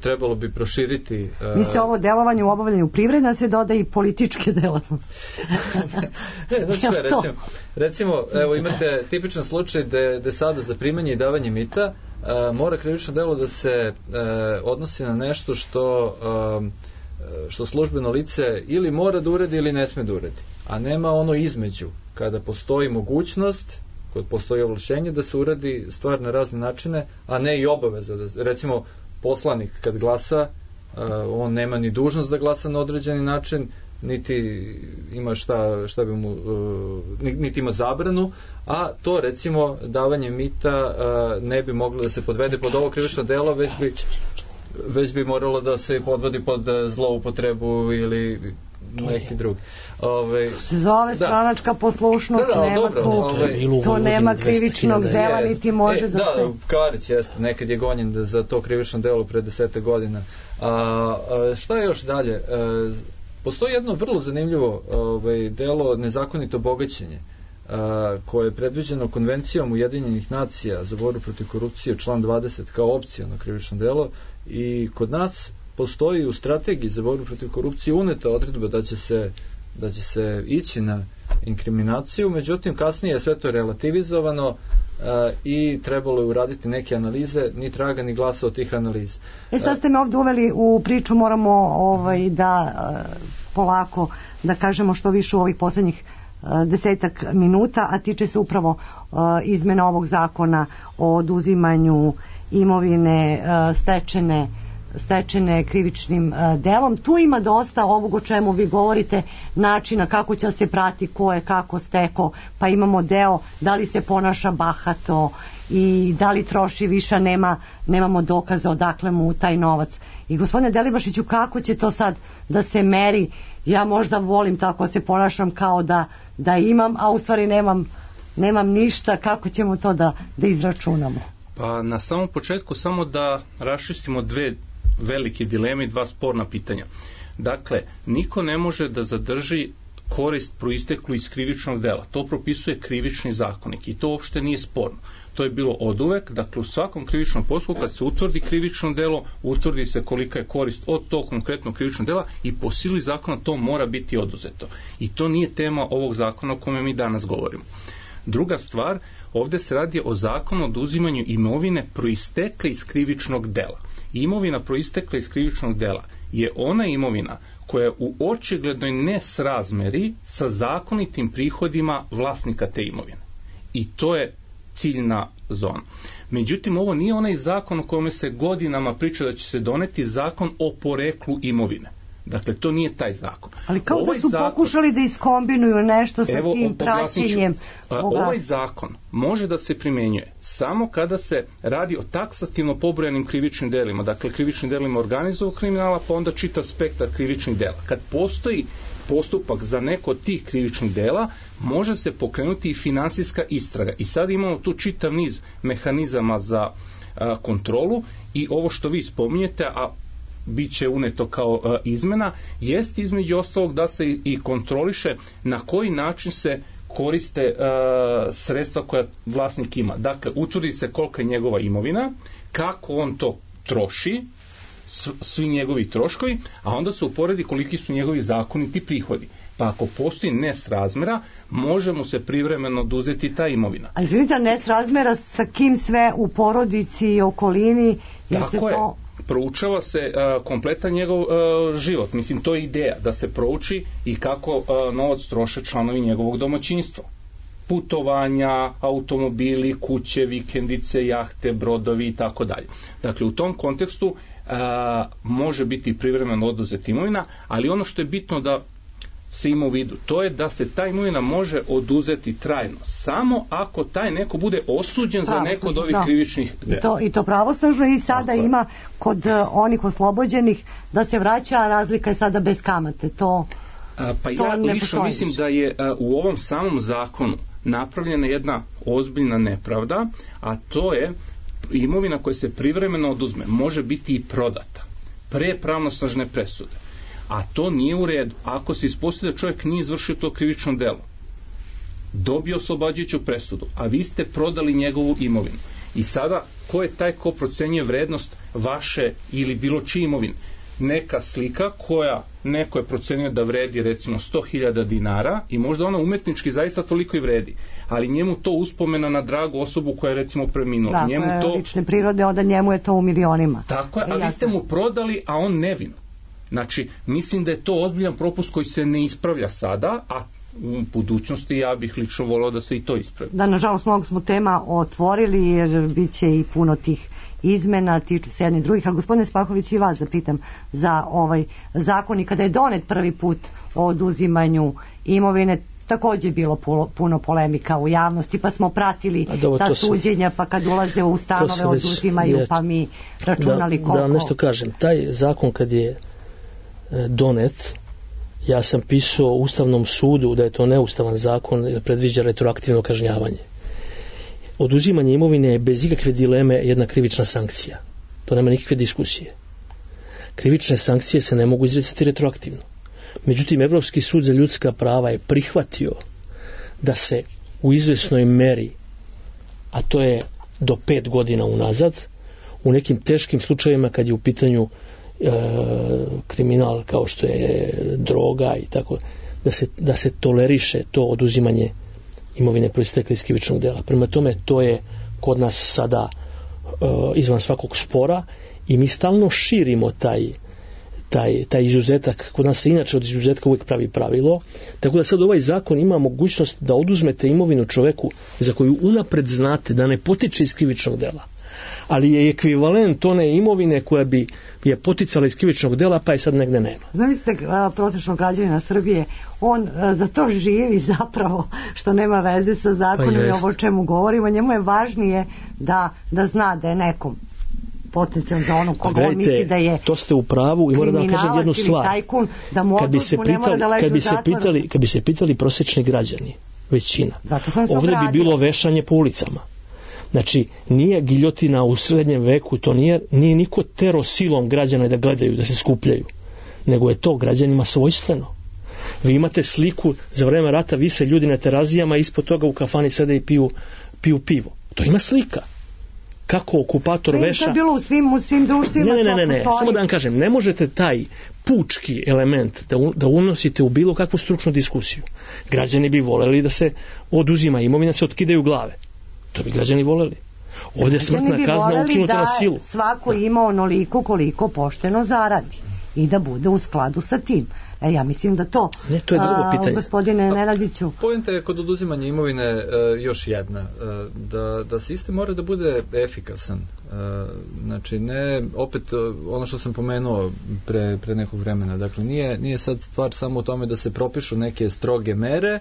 trebalo bi proširiti... Mislite ovo delovanje u obavljanju privrede, se dodaje i političke delatnosti? Recimo, evo, imate tipičan slučaj da sada za primanje i davanje mita mora krivično delo da se odnosi na nešto što službeno lice ili mora da uredi ili ne sme da uredi, a nema ono između, kada postoji mogućnost, kad postoji ovlašćenje da se uradi stvar na razne načine, a ne i obaveza. Recimo, poslanik kad glasa, on nema ni dužnost da glasa na određeni način, niti ima šta bi mu, niti ima zabranu, a to, recimo, davanje mita ne bi moglo da se podvede pod ovo krivično delo, već bi moralo da se podvodi pod zloupotrebu ili neki drugi. Se zove stranačka poslušnost, nema to nema krivičnog dela, niti može da se... Da, Karić jeste, nekad je gonjen za to krivično delo pre 10 godina. Šta je još dalje? Postoji jedno vrlo zanimljivo delo, nezakonito bogaćenje, koje je predviđeno Konvencijom Ujedinjenih nacija za borbu protiv korupcije, član 20, kao opciono krivično delo, i kod nas postoji u strategiji za borbu protiv korupcije uneta odredba da će se ići na inkriminaciju, međutim kasnije je sve to relativizovano i trebalo je uraditi neke analize, ni traga ni glasa od tih analiza. Sad ste me ovdje uveli u priču, moramo da polako da kažemo što više u ovih posljednjih 10 minuta, a tiče se upravo izmena ovog zakona o oduzimanju imovine stečene krivičnim delom. Tu ima dosta ovog o čemu vi govorite, načina kako će se prati ko je kako steko, pa imamo deo da li se ponaša bahato i da li troši više, nemamo dokaza odakle mu taj novac. I gospodine Delibašiću, kako će to sad da se meri? Ja možda volim tako se ponašam kao da imam, a u stvari nemam ništa. Kako ćemo to da izračunamo? Pa na samom početku samo da raščistimo dve velike dileme i dva sporna pitanja. Dakle, niko ne može da zadrži korist proisteklu iz krivičnog dela. To propisuje krivični zakonik i to uopšte nije sporno. To je bilo oduvek, dakle u svakom krivičnom postupku kad se utvrdi krivično delo, utvrdi se kolika je korist od tog konkretnog krivičnog dela i po sili zakona to mora biti oduzeto. I to nije tema ovog zakona o kome mi danas govorimo. Druga stvar, ovde se radi o zakonu o oduzimanju imovine proistekle iz krivičnog dela. Imovina proistekla iz krivičnog dela je ona imovina koja je u očiglednoj nesrazmeri sa zakonitim prihodima vlasnika te imovine. I to je ciljna zona. Međutim, ovo nije onaj zakon o kome se godinama priča da će se doneti, zakon o poreklu imovine. Dakle, to nije taj zakon. Ali kao da su pokušali da iskombinuju nešto sa tim praćenjem. Ovaj zakon može da se primenjuje samo kada se radi o taksativno pobrojanim krivičnim delima. Dakle, krivičnim delima organizovanog kriminala, pa onda čitav spektar krivičnih dela. Kad postoji postupak za neko od tih krivičnih dela, može se pokrenuti i finansijska istraga. I sad imamo tu čitav niz mehanizama za kontrolu i ovo što vi spominjete, a bit će uneto kao izmena, jest između ostalog da se i kontroliše na koji način se koriste sredstva koja vlasnik ima. Dakle, utvrdi se kolika je njegova imovina, kako on to troši, svi njegovi troškovi, a onda se uporedi koliki su njegovi zakoniti prihodi. Pa ako postoji nesrazmera, može mu se privremeno oduzeti ta imovina. Ali izvinite, nesrazmera sa kim sve u porodici i okolini? Tako je. Proučava se kompletan njegov život. Mislim, to je ideja, da se prouči i kako novac troše članovi njegovog domaćinstva. Putovanja, automobili, kuće, vikendice, jahte, brodovi i tako dalje. Dakle, u tom kontekstu može biti privremeno oduzeta imovina, ali ono što je bitno da se ima u vidu, to je da se ta imovina može oduzeti trajno, samo ako taj neko bude osuđen za neko od ovih krivičnih dela. I to pravosnažno i sada ima kod onih oslobođenih da se vraća, a razlika je sada bez kamate. Pa ja lično mislim da je u ovom samom zakonu napravljena jedna ozbiljna nepravda, a to je imovina koja se privremeno oduzme može biti i prodata pre pravnosnažne presude. A to nije u redu. Ako se ispostavi da čovjek nije izvršio to krivično delo, dobio oslobađajuću presudu, a vi ste prodali njegovu imovinu. I sada, ko je taj ko procenjuje vrednost vaše ili bilo čije imovine? Neka slika koja neko je procenio da vredi recimo 100.000 dinara i možda ona umetnički zaista toliko i vredi, ali njemu to uspomena na dragu osobu koja je recimo preminula. Njemu to lične prirode, onda njemu je to u milionima. Tako je, a vi ste mu prodali, a on nevin. Znači, mislim da je to ozbiljan propust koji se ne ispravlja sada, a u budućnosti ja bih lično volao da se i to ispravi. Da, nažalost, mnogo smo tema otvorili jer bit će i puno tih izmena, tiču se jednih drugih, ali gospodine Spahović, i vas zapitam za ovaj zakon i kada je donet prvi put o oduzimanju imovine, takođe bilo puno polemika u javnosti, pa smo pratili ta suđenja, pa kad ulaze u stanove oduzimaju, pa mi računali koliko. Da vam nešto kažem, taj zakon kad je donet, ja sam pisao Ustavnom sudu da je to neustavan zakon jer predviđa retroaktivno kažnjavanje. Oduzimanje imovine je bez ikakve dileme jedna krivična sankcija. To nema nikakve diskusije. Krivične sankcije se ne mogu izricati retroaktivno. Međutim, Evropski sud za ljudska prava je prihvatio da se u izvesnoj meri, a to je do 5 godina unazad, u nekim teškim slučajevima kad je u pitanju kriminal kao što je droga i tako, da se toleriše to oduzimanje imovine proistekle iz krivičnog dela. Prema tome, to je kod nas sada izvan svakog spora i mi stalno širimo taj izuzetak. Kod nas se inače od izuzetka uvijek pravi pravilo, tako da sad ovaj zakon ima mogućnost da oduzmete imovinu čoveku za koju unapred znate da ne potiče iz krivičnog dela, ali je ekvivalent one imovine koja bi je poticala iz krivičnog dela, pa je sad negde nema. Zamislite prosječnog građanina Srbije, on za to živi zapravo, što nema veze sa zakonom i ovo o čemu govorimo, njemu je važnije da zna da je nekom potencijalno za ono koga on misli da je to ste u pravu i moram da vam kažem jednu stvar. Tajkun, da mu oduzmu, ne mora da leži u zatvoru. Kad bi se pitali prosječni građani, većina, ovdje bi bilo vešanje po ulicama. Znači, nije giljotina u srednjem veku, to nije niko tero silom građana da gledaju, da se skupljaju, nego je to građanima svojstveno. Vi imate sliku, za vreme rata vise ljudi na terazijama, ispod toga u kafani sede i piju pivo. To ima slika. Kako okupator veša... To je bilo u svim društvima. Ne, samo da vam kažem, ne možete taj pučki element da unosite u bilo kakvu stručnu diskusiju. Građani bi voleli da se oduzima imovina, se otkidaju glave. To bi građani voleli. Ovdje je smrtna kazna ukinuta na silu. Svako ima onoliko koliko pošteno zaradi i da bude u skladu sa tim. Ja mislim da to... Ne, to je drugo pitanje. Gospodine Nenadiću. Poenta je kod oduzimanja imovine još jedna. Da sistem mora da bude efikasan. Znači, ne, opet, ono što sam pomenuo pre nekog vremena, dakle, nije sad stvar samo u tome da se propišu neke stroge mere,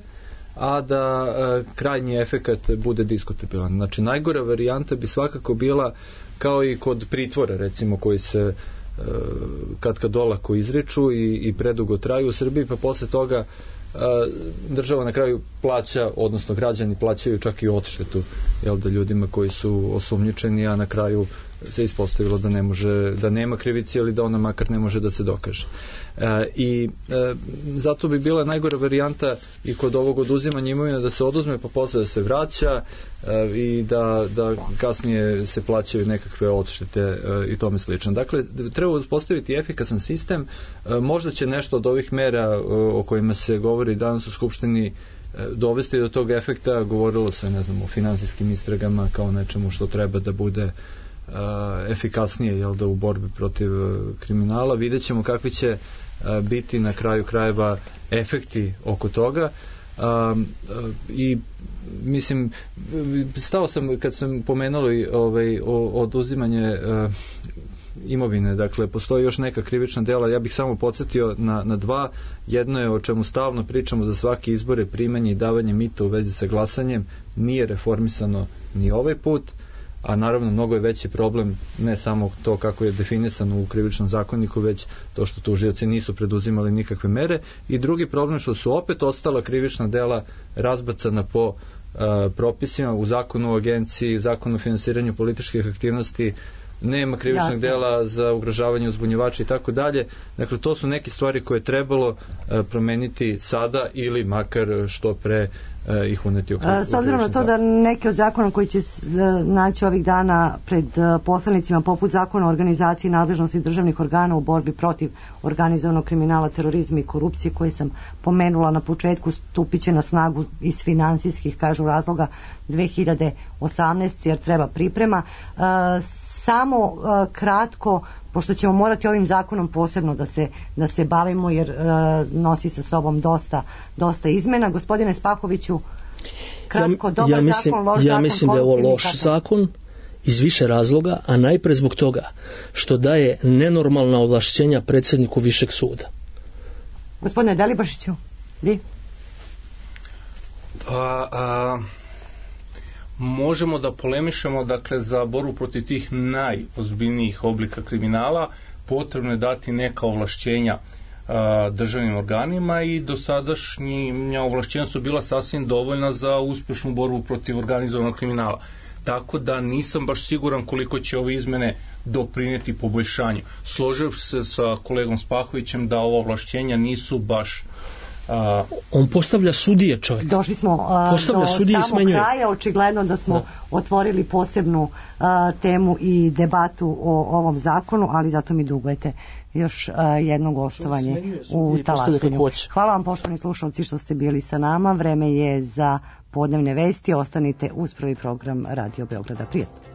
a da krajnji efekat bude diskutabilan. Znači, najgora varijanta bi svakako bila kao i kod pritvora, recimo, koji se kad olako izriču i predugo traju u Srbiji, pa posle toga država na kraju plaća, odnosno građani plaćaju čak i odštetu, da ljudima koji su osumnjičeni, a na kraju se ispostavilo da nema krivice ili da ona makar ne može da se dokaže. I zato bi bila najgora varijanta i kod ovog oduzimanja imovine da se oduzme pa posle da se vraća i da kasnije se plaćaju nekakve odštete i tome slično. Dakle, treba uspostaviti efikasan sistem. Možda će nešto od ovih mera o kojima se govori danas u Skupštini dovesti do tog efekta. Govorilo se, o finansijskim istragama kao nečemu što treba da bude efikasnije u borbi protiv kriminala. Vidjet ćemo kakvi će biti na kraju krajeva efekti oko toga. I mislim, stao sam kad sam pomenuli oduzimanje imovine, dakle postoji još neka krivična dela, ja bih samo podsjetio na dva. Jedno je o čemu stalno pričamo za svaki izbore, primanje i davanje mita u vezi sa glasanjem, nije reformisano ni ovaj put, a naravno mnogo je veći problem ne samo to kako je definisano u krivičnom zakoniku, već to što tužioci nisu preduzimali nikakve mere, i drugi problem što su opet ostala krivična dela razbacana po propisima u zakonu o agenciji, zakonu o finansiranju političkih aktivnosti, nema krivičnog dela za ugrožavanje uzbunjivača i tako dalje. Dakle, to su neke stvari koje je trebalo promeniti sada ili makar što pre ih uneti u krivični zakon. S obzirom na to da neki od zakona koji će naći ovih dana pred poslanicima, poput zakona o organizaciji nadležnosti državnih organa u borbi protiv organizovanog kriminala, terorizma i korupcije, koje sam pomenula na početku, stupit će na snagu iz finansijskih, kažu, razloga 2018, jer treba priprema. Samo kratko, pošto ćemo morati ovim zakonom posebno da se bavimo, jer nosi sa sobom dosta izmena. Gospodine Spahoviću, kratko, dobar zakon, loš zakon? Ja mislim da je ovo loš zakon iz više razloga, a najpre zbog toga što daje nenormalna ovlašćenja predsjedniku Višeg suda. Gospodine Delibašiću, vi? Možemo da polemišemo, dakle, za borbu protiv tih najozbiljnijih oblika kriminala potrebno je dati neka ovlašćenja državnim organima, i dosadašnja ovlašćenja su bila sasvim dovoljna za uspješnu borbu protiv organizovanog kriminala. Tako da nisam baš siguran koliko će ove izmene doprinijeti poboljšanju. Složio se sa kolegom Spahovićem da ova ovlašćenja nisu baš... On postavlja sudije, čovjek. Došli smo do samog kraja, očigledno da smo otvorili posebnu temu i debatu o ovom zakonu, ali zato mi dugujete još jedno gostovanje u Talasanju. Hvala vam, poštovani slušalci, što ste bili sa nama. Vreme je za podnevne vesti. Ostanite uz prvi program Radio Beograda. Prijatno.